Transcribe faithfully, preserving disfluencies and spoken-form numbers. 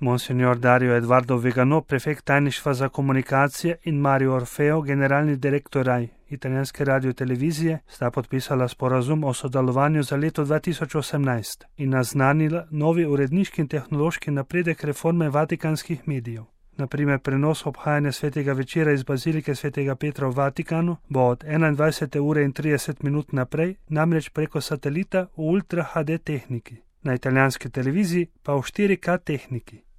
Monsignor Dario Eduardo Vigano, prefekt tajništva za komunikacije, in Mario Orfeo, generalni direktor R A I, italijanske radiotelevizije, sta podpisala sporazum o sodelovanju za leto dva tisoč osemnajst in naznanila novi uredniški in tehnološki napredek reforme vatikanskih medijev. Naprimer, prenos obhajanja svetega večera iz bazilike svetega Petra v Vatikanu bo od enaindvajsete ure in trideset minut naprej, namreč preko satelita v Ultra H D tehniki, na italijanski televiziji pa v štiri K tehniki.